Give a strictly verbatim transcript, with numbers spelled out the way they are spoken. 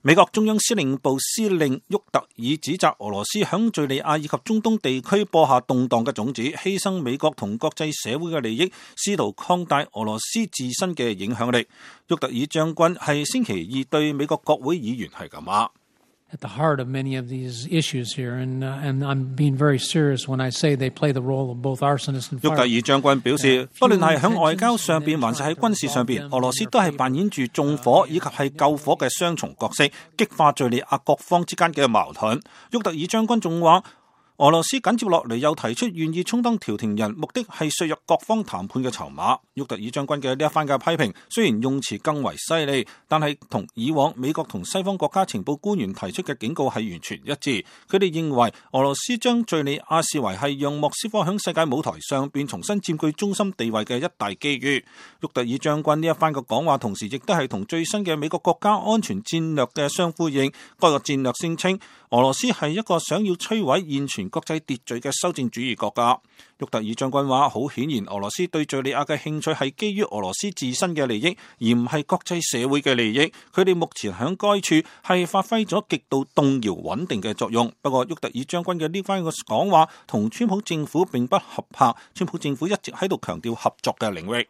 美國中央司令部司令沃特爾指責俄羅斯響敘利亞以及中東地區播下動盪嘅種子，犧牲美國同國際社會嘅利益，試圖擴大俄羅斯自身嘅影響力。沃特爾將軍係星期二對美國國會議員係咁話。At the heart of many of these issues here, and, uh, and I'm being very serious when I say they play the role of both arsonist and fire. 沃特爾將軍表示，不論係喺外交上邊，還是喺軍事上邊，俄羅斯都係扮演住縱火以及係救火嘅雙重角色，激化敘利亞各方之間嘅矛盾。沃特爾將軍仲話，俄羅斯緊接落嚟又提出願意充當調停人，目的係削弱各方談判嘅籌碼。沃特爾將軍嘅呢一番嘅批評，雖然用詞更為犀利，但係同以往美國同西方國家情報官員提出嘅警告係完全一致。佢哋認為俄羅斯將敘利亞視為係讓莫斯科響世界舞台上邊重新佔據中心地位嘅一大機遇。沃特爾將軍呢一番嘅講話，同時亦都係同最新嘅美國國家安全戰略嘅相呼應。該個戰略聲稱，俄羅斯係一個想要摧毀現存國際秩序嘅修正主義國家。沃特爾將軍話，好顯然俄羅斯對敘利亞嘅興趣係基於俄羅斯自身嘅利益，而唔係國際社會嘅利益。佢哋目前響該處係發揮咗極度動搖穩定嘅作用。不過沃特爾將軍嘅呢番嘅講話同川普政府並不合拍，川普政府一直喺度強調合作嘅領域。